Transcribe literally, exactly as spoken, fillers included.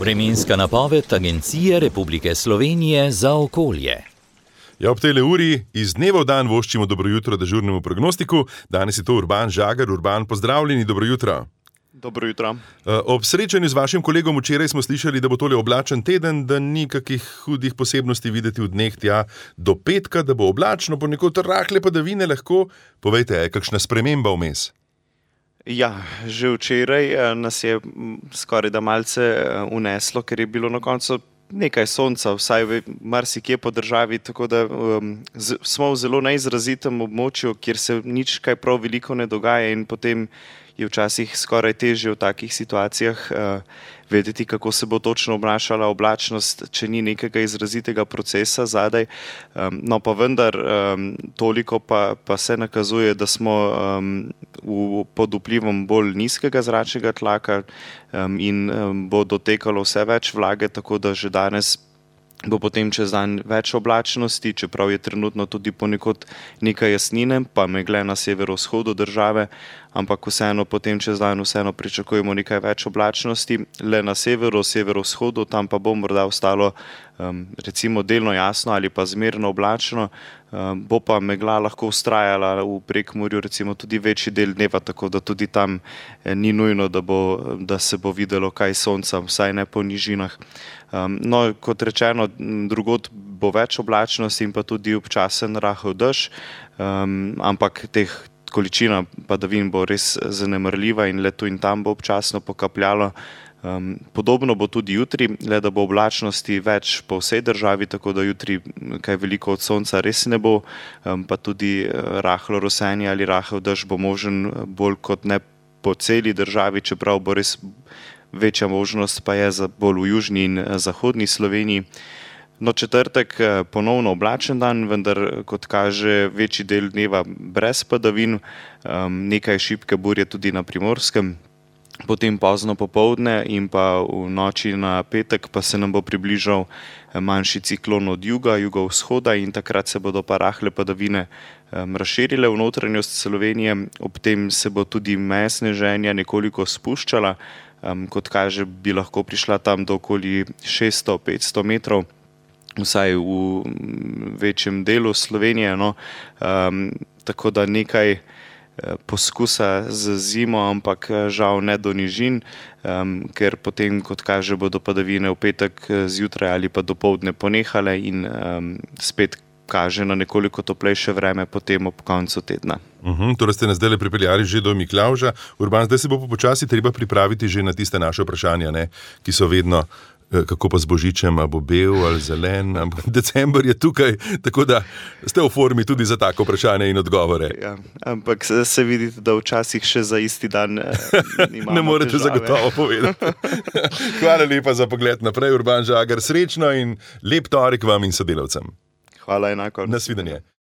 Vremenska napoved Agencije Republike Slovenije za okolje. Ja, ob tejle uri iz dneva v dan voščimo dobro jutro dežurnemu prognostiku. Danes je to Urban Žagar. Urban, pozdravljeni, dobro jutro. Dobro jutro. Ob srečanju z vašim kolegom včeraj smo slišali, da bo tole oblačen teden, da ni kakih hudih posebnosti videti v dneh tja do petka, da bo oblačno, ponekod rahle padavine lahko. Povejte, je kakšna sprememba vmes? Ja, že včeraj nas je skoraj da malce uneslo, ker je bilo na koncu nekaj sonca, vsaj v marsikje po državi, tako da um, z, smo v zelo neizrazitem območju, kjer se nič kaj prav veliko ne dogaja in potem je včasih skoraj težje v takih situacijah uh, vedeti, kako se bo točno obnašala oblačnost, če ni nekega izrazitega procesa zadaj. Um, no pa vendar um, toliko pa, pa se nakazuje, da smo um, v, pod vplivom bolj nizkega zračnega tlaka um, in um, bo dotekalo vse več vlage, tako da že danes bo potem čez dan več oblačnosti, čeprav je trenutno tudi ponekod nekaj jasnine, pa megle na severovzhodu države, ampak vseeno potem čez dan vseeno pričakujemo nekaj več oblačnosti. Le na severu, severovzhodu, tam pa bo morda ostalo um, recimo delno jasno ali pa zmerno oblačno, um, bo pa megla lahko vztrajala v Prekmurju recimo tudi večji del dneva, tako da tudi tam eh, ni nujno, da, bo, da se bo videlo kaj sonca, vsaj ne po nižinah. Um, no, kot rečeno, drugod bo več oblačnosti in pa tudi občasen rahel dež, um, ampak teh količina padavin bo res zanemarljiva in le tu in tam bo občasno pokapljalo. Um, podobno bo tudi jutri, le da bo oblačnosti več po vsej državi, tako da jutri kaj veliko od sonca res ne bo, um, pa tudi rahlo rosenje ali rahel dež bo možen bolj kot ne po celi državi, čeprav bo res večja možnost pa je za bolj v južni in zahodni Sloveniji. No, četrtek ponovno oblačen dan, vendar kot kaže večji del dneva brez padavin, um, nekaj šibke burje tudi na Primorskem. Potem pozno popoldne in pa v noči na petek pa se nam bo približal manjši ciklon od juga, jugovzhoda in takrat se bodo pa rahle padavine um, razširile v notranjost Slovenije. Ob tem se bo tudi meja sneženja nekoliko spuščala, um, kot kaže bi lahko prišla tam do okoli šeststo do petsto metrov, vsaj v večjem delu Slovenije. No. Um, tako da nekaj poskusa z zimo, ampak žal ne do nižin, um, ker potem, kot kaže, bodo padavine v petek zjutraj ali pa dopoldne ponehale in um, spet kaže na nekoliko toplejše vreme potem ob koncu tedna. Uhum, torej ste nas zdaj pripeljali že do Miklavža. Urban, zdaj se bo počasi treba pripraviti že na tiste naše vprašanja, ne, ki so vedno kako pa z božičem, a bo bel ali zelen, ampak december je tukaj, tako da ste v formi tudi za tako vprašanje in odgovore. Ja, ampak se vidite, da včasih še za isti dan imamo ne morete težave. Zagotovo povedati. Hvala lepa za pogled naprej, Urban Žagar, srečno in lep torek vam in sodelavcem. Hvala enako. Nasvidenje.